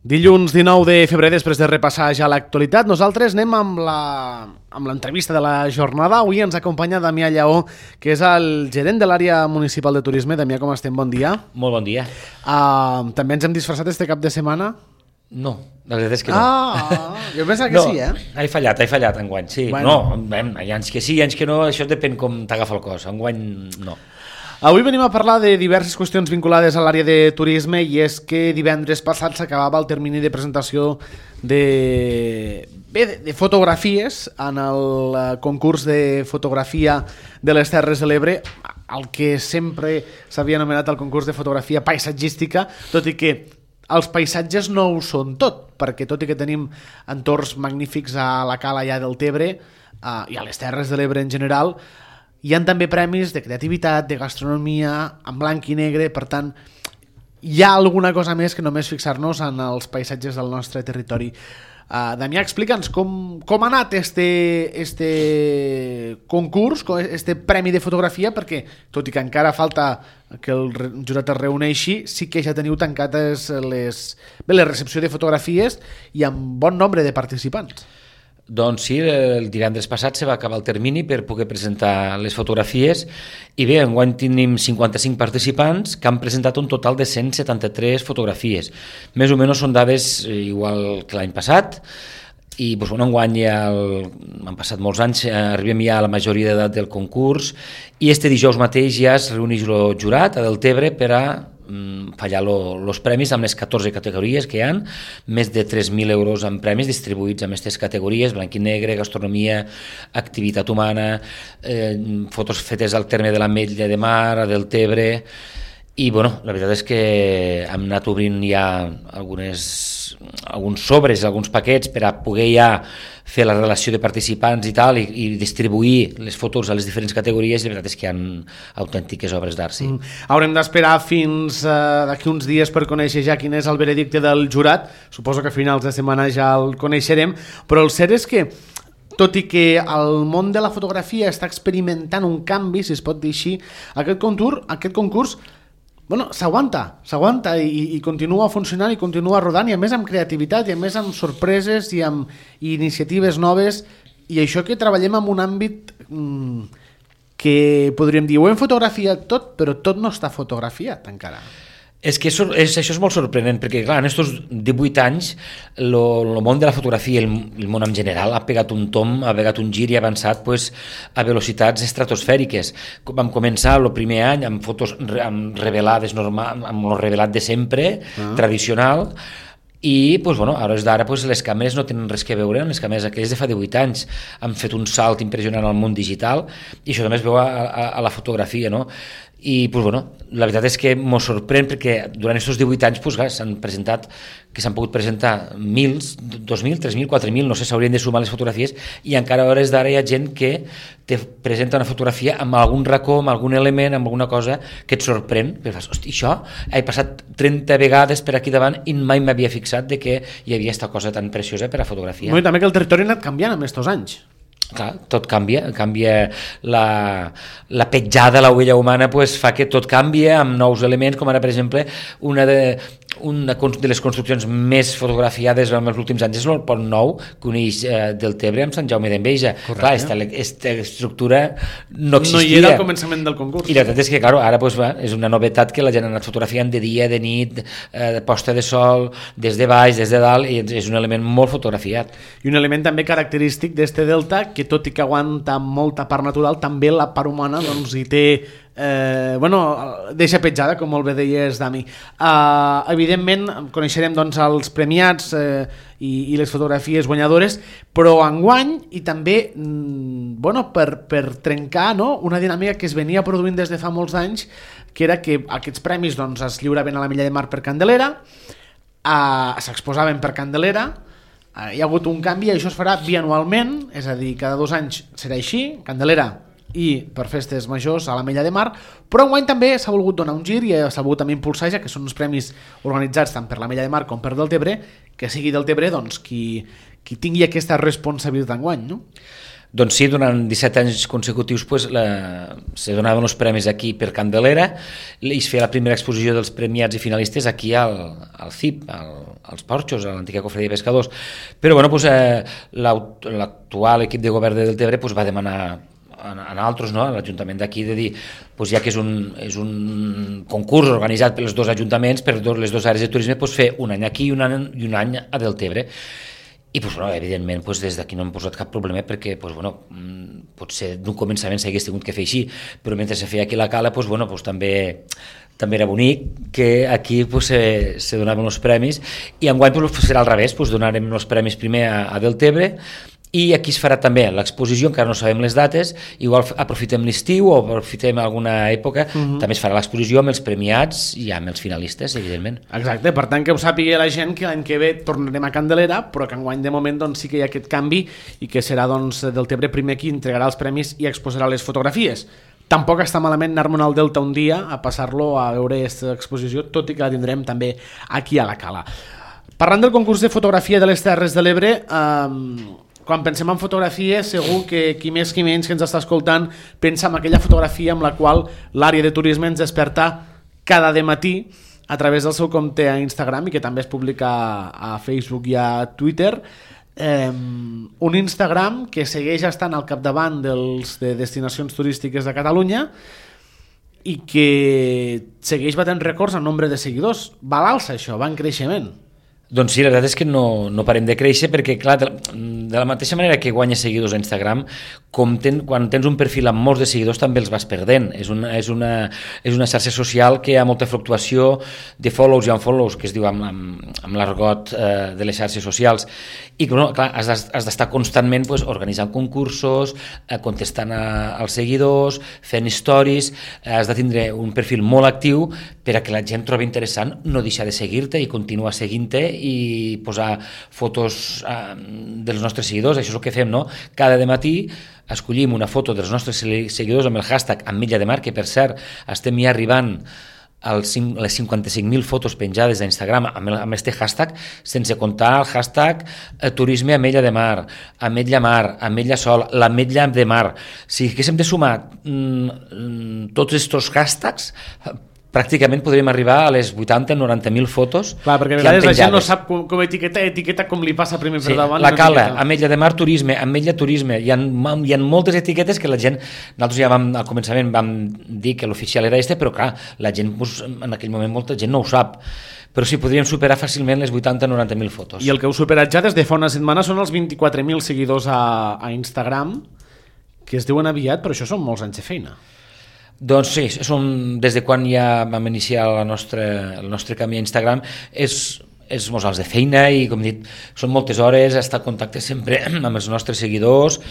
Dilluns 19 de febrer, després de repassar ja l'actualitat, nosaltres anem amb l'entrevista de la jornada. Avui ens acompanya Damià Lleó, que és el gerent de l'àrea municipal de turisme. Damià, com estem? Bon dia. Molt bon dia. També ens hem disfressat este cap de setmana? No, la veritat és que no. Jo pensava que sí, eh? He fallat enguany, sí. Bueno. No, hi ha anys que sí, hi ha anys que no, això depèn com t'agafa el cos. Enguany no. Avui venim a parlar de diverses qüestions vinculades a l'àrea de turisme, i és que divendres passat s'acabava el termini de presentació de fotografies en el concurs de fotografia de les Terres de l'Ebre, el que sempre s'havia anomenat el concurs de fotografia paisatgística, tot i que els paisatges no ho són tot, perquè tot i que tenim entorns magnífics a la cala allà del Tebre i a les Terres de l'Ebre en general, hi ha també premis de creativitat, de gastronomia, en blanc i negre. Per tant, hi ha alguna cosa més que només fixar-nos en els paisatges del nostre territori. Damià, explica'ns com ha anat este concurs, este premi de fotografia, perquè tot i que encara falta que el jurat es reuneixi, sí que ja teniu tancades la recepció de fotografies i amb bon nombre de participants. Doncs sí, el divendres passat se va acabar el termini per poder presentar les fotografies i bé, enguany tenim 55 participants que han presentat un total de 173 fotografies. Més o menys són dades igual que l'any passat i doncs, enguany han passat molts anys, arribem ja a la majoria d'edat del concurs i este dijous mateix ja es reuneix el jurat a Deltebre per a fallar els premis amb les 14 categories que hi ha, més de 3.000 euros en premis distribuïts en aquestes categories, blanc i negre, gastronomia, activitat humana, fotos fetes al terme de l'Ametlla de Mar, a Deltebre, i bueno, la veritat és que hem anat obrint ja alguns sobres, alguns paquets per a poder ja fer la relació de participants i tal, i distribuir les fotos a les diferents categories, i la veritat és que hi ha autèntiques obres d'art, sí. Haurem d'esperar fins d'aquí uns dies per conèixer ja quin és el veredicte del jurat. Suposo que a finals de setmana ja el coneixerem, però el cert és que tot i que el món de la fotografia està experimentant un canvi, si es pot dir així, aquest concurs s'aguanta i continua funcionant i continua rodant, i a més amb creativitat i a més amb sorpreses i amb iniciatives noves, i això que treballem en un àmbit que podríem dir, ho hem fotografiat tot, però tot no està fotografiat encara. És que això és molt sorprenent, perquè clar, en aquests 18 anys el món de la fotografia i el món en general ha pegat un tomb, ha pegat un gir i ha avançat a velocitats estratosfèriques. Vam començar el primer any amb fotos revelades, amb el revelat de sempre, tradicional, i a hores d'ara les càmeres no tenen res que veure amb les càmeres aquelles de fa 18 anys. Han fet un salt impressionant al món digital i això també es veu a la fotografia, no? I la veritat és que m'ho sorprèn, perquè durant aquests 18 anys s'han pogut presentar 1.000, 2.000, 3.000, 4.000, no sé, s'haurien de sumar les fotografies, i encara a hores d'ara hi ha gent que te presenta una fotografia amb algun racó, amb algun element, amb alguna cosa que et sorprèn, perquè fas, hosti, això he passat 30 vegades per aquí davant i mai m'havia fixat de que hi havia aquesta cosa tan preciosa per a fotografia. I també que el territori ha anat canviant en aquests anys. Clar, tot canvia la petjada, la huella humana fa que tot canvia amb nous elements, com ara per exemple una de les construccions més fotografiades en els últims anys és el Pont Nou que uneix Deltebre amb Sant Jaume d'Enveja. Clar, aquesta estructura no existia. No hi era al començament del concurs. I la veritat és que ara és una novetat que la gent ha anat fotografiant de dia, de nit, posta de sol, des de baix, des de dalt, i és un element molt fotografiat. I un element també característic d'este delta, que tot i que aguanta molta part natural, també la part humana hi té deixa petjada, com molt bé deies, Dami. Evidentment coneixerem els premiats i les fotografies guanyadores, però enguany, i també per trencar una dinàmica que es venia produint des de fa molts anys, que era que aquests premis es lliuraven a l'Ametlla de Mar per Candelera, s'exposaven per Candelera. Hi ha hagut un canvi i això es farà bianualment, és a dir, cada 2 anys serà així, Candelera i per festes majors a l'Ametlla de Mar, però enguany també s'ha volgut donar un gir i s'ha volgut també impulsar, ja que són uns premis organitzats tant per l'Ametlla de Mar com per Deltebre, que sigui Deltebre qui tingui aquesta responsabilitat enguany, no? Doncs sí, durant 17 anys consecutius se donaven els premis aquí per Candelera i es feia la primera exposició dels premiats i finalistes aquí al CIP, als Porxos, a l'antiga cofredia de pescadors. Però bueno, l'actual equip de govern de Deltebre va demanar a altres, no? A l'Ajuntament d'aquí, de dir, ja que és un concurs organitzat pels dos ajuntaments, per les dues àrees de turisme, fer un any aquí i un any a Deltebre. I evidentment des d'aquí no hem posat cap problema perquè potser d'un començament s'hagués tingut que fer així, però mentre se feia aquí la cala també era bonic que aquí se donaven els premis, i enguany serà al revés, donarem els premis primer a Deltebre, i aquí es farà també l'exposició, encara no sabem les dates, igual aprofitem l'estiu o aprofitem alguna època, també es farà l'exposició amb els premiats i amb els finalistes, evidentment. Exacte, per tant que ho sàpiga la gent que l'any que ve tornarem a Candelera, però que enguany de moment sí que hi ha aquest canvi i que serà Deltebre primer qui entregarà els premis i exposarà les fotografies. Tampoc està malament anar-me'n al Delta un dia a passar-lo a veure aquesta exposició, tot i que la tindrem també aquí a la Cala. Parlant del concurs de fotografia de les Terres de l'Ebre, quan pensem en fotografia, segur que qui més qui menys que ens està escoltant pensa en aquella fotografia amb la qual l'àrea de turisme ens desperta cada dematí a través del seu compte a Instagram i que també es publica a Facebook i a Twitter. Un Instagram que segueix estant al capdavant de destinacions turístiques de Catalunya i que segueix batent rècords en nombre de seguidors. Va a l'alça això, va en creixement. Doncs sí, la veritat és que no parem de créixer perquè, clar, de la mateixa manera que guanyes seguidors a Instagram, quan tens un perfil amb molts de seguidors també els vas perdent. És una xarxa social que hi ha molta fluctuació de follows i unfollows, que es diu amb l'argot de les xarxes socials. I clar, has d'estar constantment organitzant concursos, contestant als seguidors, fent stories, has de tindre un perfil molt actiu per a que la gent trobi interessant no deixar de seguir-te i continuar seguint-te i posar fotos dels nostres seguidors. Això és el que fem, no? Cada dematí escollim una foto dels nostres seguidors amb el hashtag Ametlla de Mar, que per cert estem ja arribant a les 55.000 fotos penjades a Instagram amb aquest hashtag, sense comptar el hashtag Turisme Ametlla de Mar, Ametlla Mar, Ametlla Sol, l'Ametlla de Mar. Si haguéssim de sumar tots aquests hashtags, pràcticament podríem arribar a les 80-90.000 fotos. Clar, perquè a vegades la gent no sap com etiqueta com li passa primer per davant. La Cala, Ametlla de Mar Turisme, Ametlla Turisme, hi ha moltes etiquetes que la gent, nosaltres ja al començament vam dir que l'oficial era però clar, la gent en aquell moment molta gent no ho sap, però sí, podríem superar fàcilment les 80-90.000 fotos. I el que heu superat ja des de fa una setmana són els 24.000 seguidors a Instagram, que es diuen aviat, però això són molts anys de feina. Doncs sí, des de quan ja vam iniciar el nostre camí a Instagram és molts anys de feina i, com he dit, són moltes hores, estar en contacte sempre amb els nostres seguidors,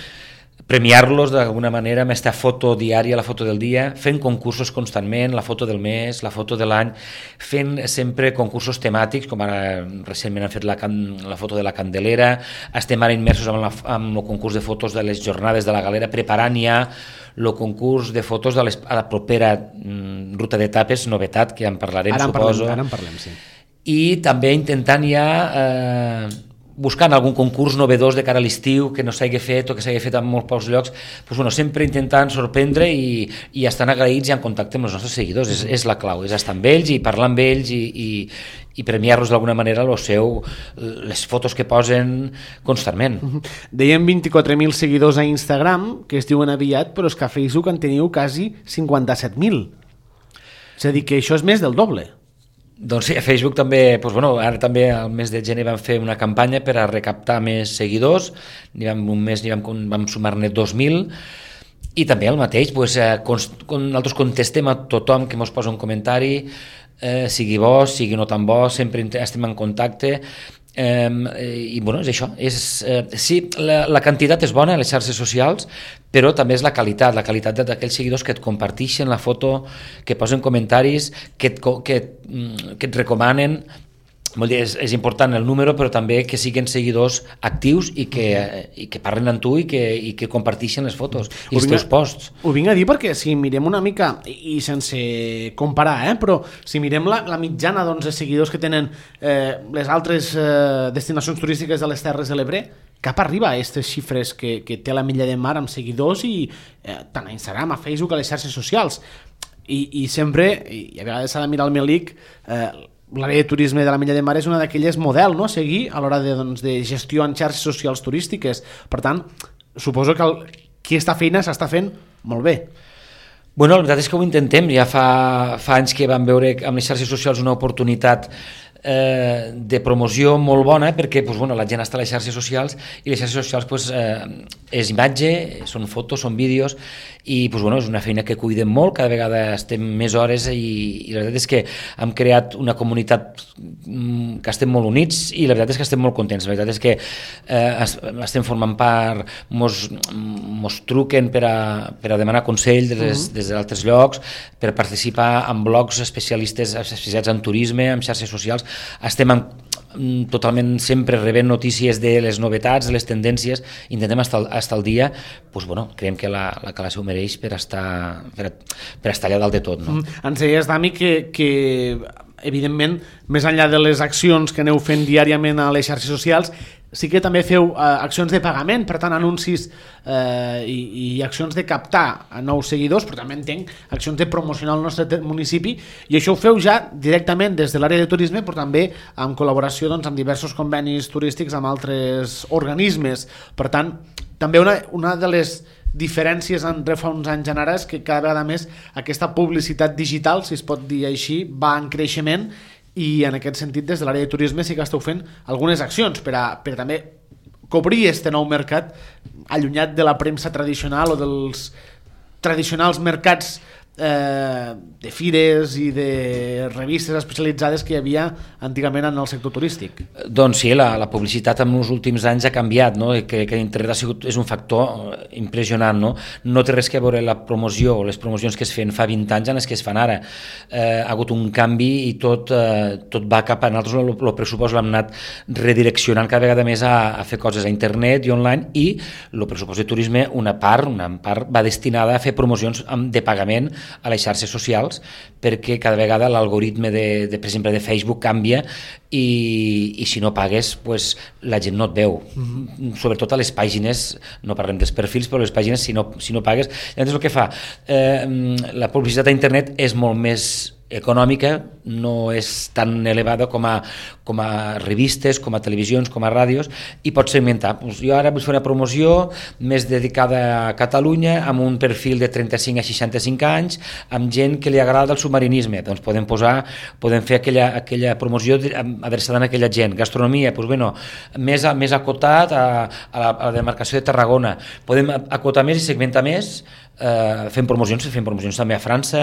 premiar-los d'alguna manera amb aquesta foto diària, la foto del dia, fent concursos constantment, la foto del mes, la foto de l'any, fent sempre concursos temàtics, com ara recentment han fet la foto de la Candelera, estem ara immersos amb el concurs de fotos de les jornades de la Galera, preparant ja el concurs de fotos a la propera ruta d'etapes, novetat, que en parlarem, suposo. Ara en parlem, sí. I també intentant ja buscant algun concurs novedós de cara a l'estiu que no s'hagi fet o que s'hagi fet en molts pocs llocs, sempre intentant sorprendre i estan agraïts i en contacte amb els nostres seguidors. És la clau, és estar amb ells i parlar amb ells i premiar-los d'alguna manera les fotos que posen constantment. Dèiem 24.000 seguidors a Instagram, que es diuen aviat, però és que a Facebook en teniu quasi 57.000. És a dir, que això és més del doble. Doncs sí, a Facebook també, ara també al mes de gener vam fer una campanya per a recaptar més seguidors, un mes vam sumar-ne 2.000, i també el mateix, nosaltres contestem a tothom que ens posa un comentari, sigui bo, sigui no tan bo, sempre estem en contacte, i és això, sí, la quantitat és bona a les xarxes socials, però també és la qualitat d'aquells seguidors que et comparteixen la foto, que posen comentaris, que et recomanen. És important el número, però també que siguin seguidors actius i que parlen amb tu i que comparteixen les fotos i els teus posts. Ho vinc a dir perquè si mirem una mica, i sense comparar, però si mirem la mitjana de seguidors que tenen les altres destinacions turístiques de les Terres de l'Ebre, cap arriba a aquestes xifres que té l'Ametlla de Mar amb seguidors i tant a Instagram, a Facebook, a les xarxes socials. I sempre, i a vegades s'ha de mirar el Melic, l'àrea de turisme de l'Ametlla de Mar és una d'aquelles model, no?, a seguir a l'hora de gestió en xarxes socials turístiques. Per tant, suposo que qui està feina s'està fent molt bé. Bueno, la veritat és que ho intentem. Ja fa anys que vam veure amb les xarxes socials una oportunitat de promoció molt bona, perquè la gent està a les xarxes socials i les xarxes socials és imatge, són fotos, són vídeos i és una feina que cuidem molt, cada vegada estem més hores i la veritat és que hem creat una comunitat que estem molt units i la veritat és que estem molt contents. La veritat és que estem formant part, mos truquen per a demanar consell des d'altres llocs, per participar en blogs especialitzats en turisme, en xarxes socials. Estem totalment sempre rebent notícies de les novetats, de les tendències, intentem estar al dia. Creiem que la classe ho mereix per estar allà dalt de tot, no? Ens deies, Dami, que evidentment, més enllà de les accions que aneu fent diàriament a les xarxes socials, sí que també feu accions de pagament, per tant anuncis i accions de captar a nous seguidors, però també entenc accions de promocionar el nostre municipi, i això ho feu ja directament des de l'àrea de turisme, però també en col·laboració amb diversos convenis turístics amb altres organismes. Per tant, també una de les diferències entre fa uns anys en ara és que cada vegada més aquesta publicitat digital, si es pot dir així, va en creixement, i en aquest sentit des de l'àrea de turisme sí que esteu fent algunes accions per també cobrir este nou mercat allunyat de la premsa tradicional o dels tradicionals mercats de fires i de revistes especialitzades que hi havia antigament en el sector turístic. Doncs sí, la publicitat en els últims anys ha canviat, no? Que internet és un factor impressionant, no? No té res que veure la promoció o les promocions que es feien fa 20 anys en les que es fan ara. Ha hagut un canvi i tot va cap a nosaltres. El pressupost l'hem anat redireccionant cada vegada més a fer coses a internet i online, i el pressupost de turisme, una part va destinada a fer promocions de pagament a les xarxes socials, perquè cada vegada l'algoritme per exemple de Facebook canvia i si no pagues la gent no et veu, sobretot a les pàgines, no parlem dels perfils, però les pàgines si no pagues. Llavors el que fa la publicitat a internet és molt més econòmica, no és tan elevada com a revistes, com a televisions, com a ràdios, i pots segmentar. Jo ara vull fer una promoció més dedicada a Catalunya, amb un perfil de 35 a 65 anys, amb gent que li agrada el submarinisme. Doncs podem fer aquella promoció adreçada a aquella gent. Gastronomia, més acotat a la demarcació de Tarragona. Podem acotar més i segmentar més, fem promocions també a França,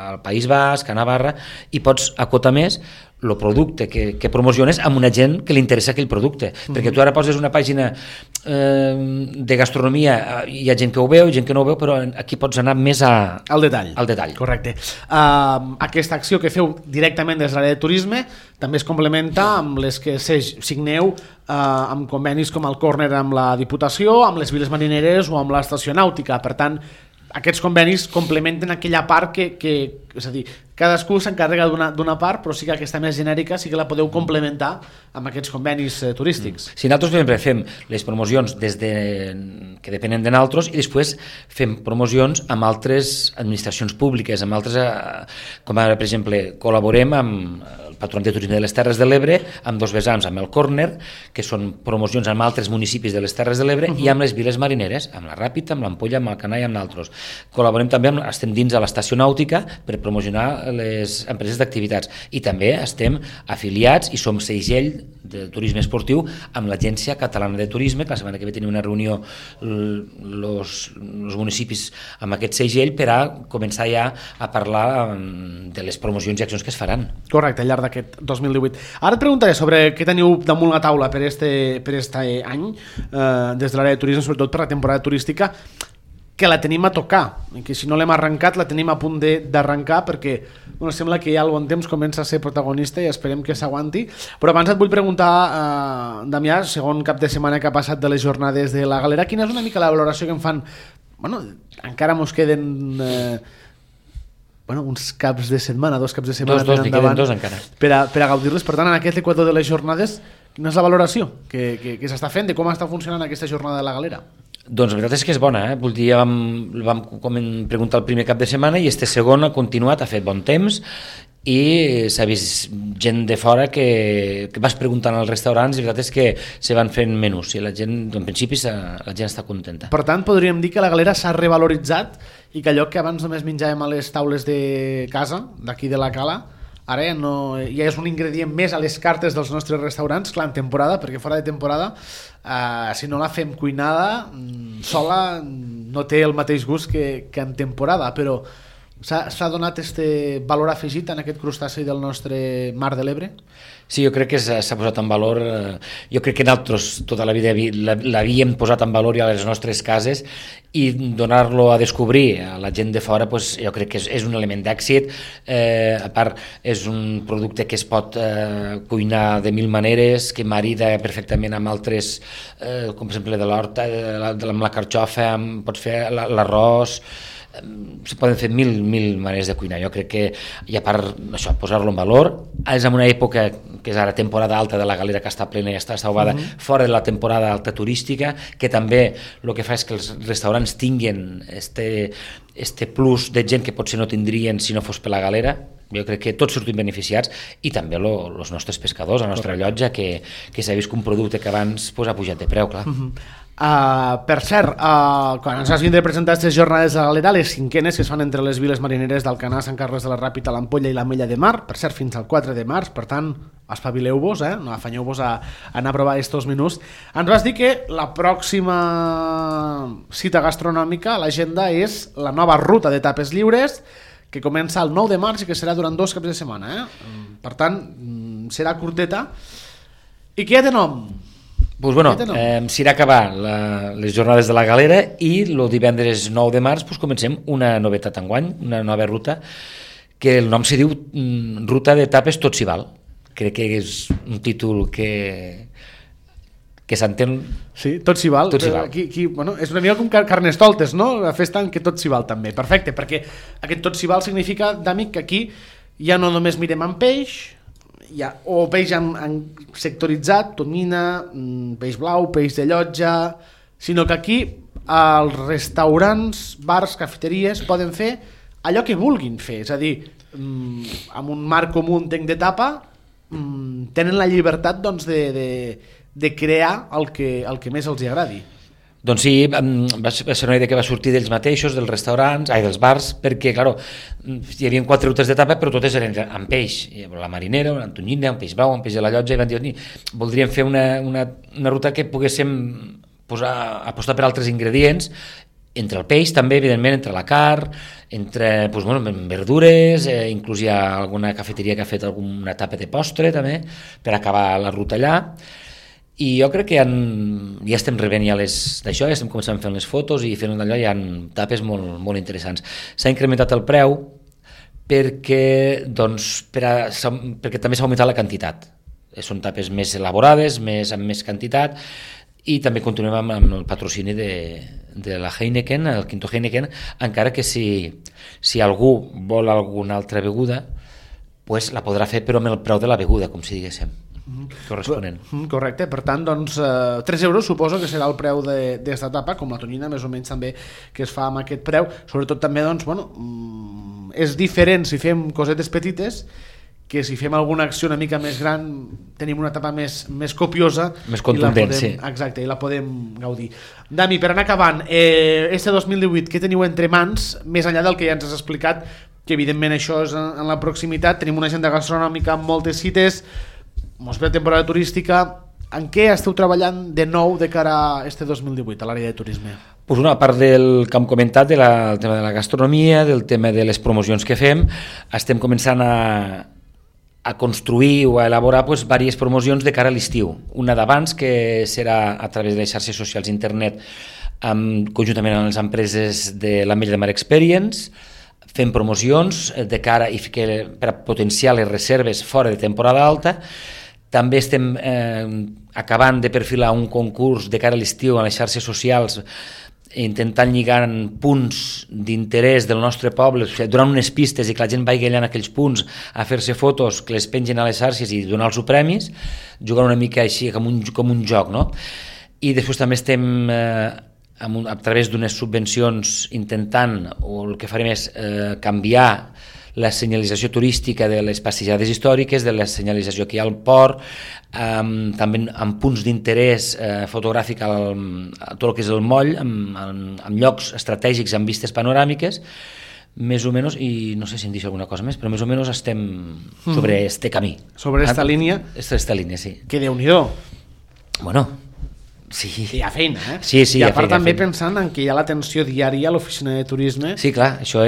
al País Basc, a Navarra, i pots acotar més el producte que promociones amb una gent que li interessa aquell producte, perquè tu ara poses una pàgina de gastronomia, hi ha gent que ho veu, gent que no ho veu, però aquí pots anar més al detall. Correcte. Aquesta acció que feu directament des de l'àrea de turisme també es complementa amb les que signeu amb convenis com el Corner amb la Diputació, amb les viles marineres o amb l'estació nàutica. Per tant, aquests convenis complementen aquella part que és a dir, cadascú s'encarrega d'una part, però sí que aquesta més genèrica sí que la podeu complementar amb aquests convenis turístics. Sí, nosaltres sempre fem les promocions que depenen de nosaltres, i després fem promocions amb altres administracions públiques, amb altres, com ara, per exemple, col·laborem amb el Patronat de Turisme de les Terres de l'Ebre, amb dos vessants, amb el Corner, que són promocions amb altres municipis de les Terres de l'Ebre, i amb les viles marineres, amb la Ràpita, amb l'Ampolla, amb Alcanar i amb d'altres. Col·laborem també, estem dins de l'estació nàutica per promocionar les empreses d'activitats, i també estem afiliats i som segell de turisme esportiu amb l'Agència Catalana de Turisme, que la setmana que ve tenim una reunió els municipis amb aquest segell per a començar ja a parlar de les promocions i accions que es faran. Correcte, al llarg d'aquest 2018. Ara et preguntaré sobre què teniu damunt la taula per este any des de l'àrea de turisme, sobretot per la temporada turística, que la tenim a tocar, que si no l'hem arrencat la tenim a punt d'arrencar, perquè sembla que ja al bon temps comença a ser protagonista i esperem que s'aguanti. Però abans et vull preguntar, Damià, segon cap de setmana que ha passat de les jornades de la Galera, quina és una mica la valoració que en fan? Encara mos queden uns caps de setmana, dos caps de setmana dos, n'hi queden dos encara per a gaudir-les. Per tant, en aquest equador de les jornades, Quina és la valoració que s'està fent de com està funcionant aquesta jornada de la Galera? Doncs la veritat és que és bona, Vull dir, vam preguntar el primer cap de setmana i este segon ha continuat, ha fet bon temps i s'ha vist gent de fora que vas preguntant als restaurants i la veritat és que se van fent menús i la gent, en principi, la gent està contenta. Per tant, podríem dir que la Galera s'ha revaloritzat i que allò que abans només menjàvem a les taules de casa, d'aquí de la Cala, ara ja és un ingredient més a les cartes dels nostres restaurants, clar, en temporada, perquè fora de temporada, si no la fem cuinada, sola no té el mateix gust que en temporada, però s'ha donat este valor afegit en aquest crustaci del nostre Mar de l'Ebre? Sí, jo crec que s'ha posat en valor, jo crec que nosaltres tota la vida l'havíem posat en valor ja a les nostres cases i donar-lo a descobrir a la gent de fora, pues, jo crec que és un element d'èxit, a part és un producte que es pot cuinar de mil maneres, que marida perfectament amb altres, com per exemple de l'horta, amb la carxofa, pots fer l'arròs, se poden fer mil maneres de cuinar. Jo crec que, i a part això, posar-lo en valor, és en una època que és ara temporada alta de la Galera, que està plena i està estalvada, fora de la temporada alta turística, que també el que fa és que els restaurants tinguin este plus de gent que potser no tindrien si no fos per la Galera. Jo crec que tots sortim beneficiats i també els nostres pescadors, la nostra llotja, que s'ha vist que un producte que abans ha pujat de preu, clar. Per cert, quan ens has vindre a presentar aquestes jornades de la Galera, les cinquenes que es fan entre les viles marineres d'Alcanar, Sant Carles de la Ràpita, l'Ampolla i l'Ametlla de Mar, per cert, fins al 4 de març, per tant, espavileu-vos, no afanyeu-vos a anar a provar estos menús. Ens vas dir que la pròxima cita gastronòmica a l'agenda és la nova ruta de tapes lliures, que comença el 9 de març i que serà durant 2 caps de setmana. Per tant, serà curteta. I què té nom? Pues bueno, s'irà a acabar les jornades de la Galera i el divendres 9 de març comencem una novetat enguany, una nova ruta, que el nom se diu Ruta de Tapes Tot s'hi val. Crec que és un títol que s'entén... Sí, tot s'hi val. Bueno, és una mica com Carnestoltes, no? La festa en què tot s'hi val també. Perfecte, perquè aquest tot s'hi val significa, d'amic, que aquí ja no només mirem en peix, o peix sectoritzat, tonyina, peix blau, peix de llotja, sinó que aquí els restaurants, bars, cafeteries poden fer allò que vulguin fer, és a dir, amb un marc comú entenc de tapa, tenen la llibertat de crear el que més els agradi. Doncs sí, va ser una idea que va sortir d'ells mateixos, dels restaurants, dels bars, perquè, clar, hi havia 4 rutes d'etapa, però totes eren amb peix. La marinera, una tonyina, un peix blau, un peix de la llotja, i van dir, voldríem fer una ruta que poguéssim apostar per altres ingredients, entre el peix també, evidentment, entre la carn, entre verdures, inclús hi ha alguna cafeteria que ha fet alguna etapa de postre també, per acabar la ruta allà. I jo crec que ja estem rebent d'això, ja estem començant a fer les fotos i fent allò, hi ha tapes molt, molt interessants. S'ha incrementat el preu perquè també s'ha augmentat la quantitat. Són tapes més elaborades, amb més quantitat, i també continuem amb el patrocini de la Heineken, el Quinto Heineken, encara que si algú vol alguna altra beguda, pues la podrà fer però amb el preu de la beguda, com si diguéssim. Corresponent. Correcte, per tant, doncs, 3 euros suposo que serà el preu d'esta etapa, com la tonyina més o menys també que es fa amb aquest preu. Sobretot també, doncs, és diferent si fem cosetes petites que si fem alguna acció una mica més gran tenim una etapa més copiosa, més contundent, sí. Exacte, i la podem gaudir. Dami, per anar acabant, este 2018 què teniu entre mans, més enllà del que ja ens has explicat, que evidentment això és en la proximitat, tenim una agenda gastronòmica amb moltes cites, mos ve temporada turística. En què esteu treballant de nou de cara a este 2018 a l'àrea de turisme? Pues a part del que hem comentat, del tema de la gastronomia, del tema de les promocions que fem, estem començant a construir o a elaborar diverses promocions de cara a l'estiu. Una d'abans, que serà a través de les xarxes socials internet, conjuntament amb les empreses de l'Ametlla de Mar Experience, fem promocions de cara per a potenciar les reserves fora de temporada alta. També estem acabant de perfilar un concurs de cara a l'estiu a les xarxes socials intentant lligar punts d'interès del nostre poble, donant unes pistes i que la gent vagi allà en aquells punts a fer-se fotos que les pengen a les xarxes i donar-los premis, jugant una mica així com un joc, no? I després també estem a través d'unes subvencions intentant, o el que farem és canviar la senyalització turística de les passejades històriques, de la senyalització que hi ha al port, també amb punts d'interès fotogràfic a tot el que és el moll, amb llocs estratègics amb vistes panoràmiques, més o menys, i no sé si em deixo alguna cosa més, però més o menys estem sobre este camí. Sobre esta línia? Esta línia, sí. Que Déu-n'hi-do. Bueno, sí. Hi ha feina, eh? Sí, I a part també pensant en que hi ha l'atenció diària a l'oficina de turisme. Sí, clar, això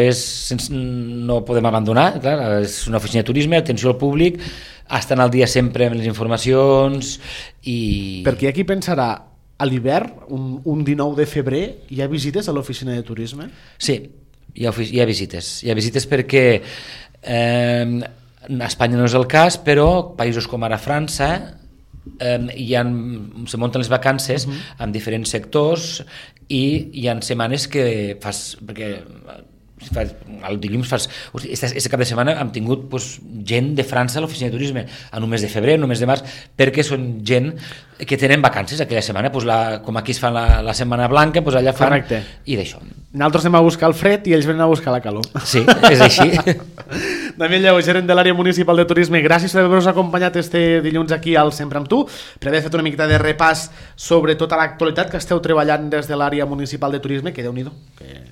no podem abandonar, clar, és una oficina de turisme, atenció al públic, estan al dia sempre amb les informacions i... Perquè aquí pensarà, a l'hivern, un 19 de febrer, hi ha visites a l'oficina de turisme? Sí, hi ha visites perquè a Espanya no és el cas, però països com ara França se munten les vacances en diferents sectors i hi ha setmanes que perquè el dilluns aquest cap de setmana hem tingut gent de França a l'oficina de turisme en un mes de febrer, en un mes de març, perquè són gent que tenen vacances aquella setmana, com aquí es fa la setmana blanca, allà fan. Correcte. I d'això. Nosaltres anem a buscar el fred i ells venen a buscar la calor. Sí, és així. Damià Lleó, gerent de l'àrea municipal de turisme, gràcies per haver-nos acompanyat este dilluns aquí al Sempre amb tu, per haver fet una miqueta de repàs sobre tota l'actualitat que esteu treballant des de l'àrea municipal de turisme, que Déu-n'hi-do, que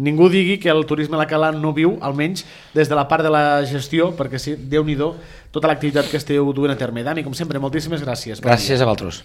ningú digui que el turisme a la Cala no viu, almenys des de la part de la gestió, perquè sí, Déu-n'hi-do tota l'activitat que esteu duent a terme. Dani, com sempre, moltíssimes gràcies. Gràcies a vosaltres.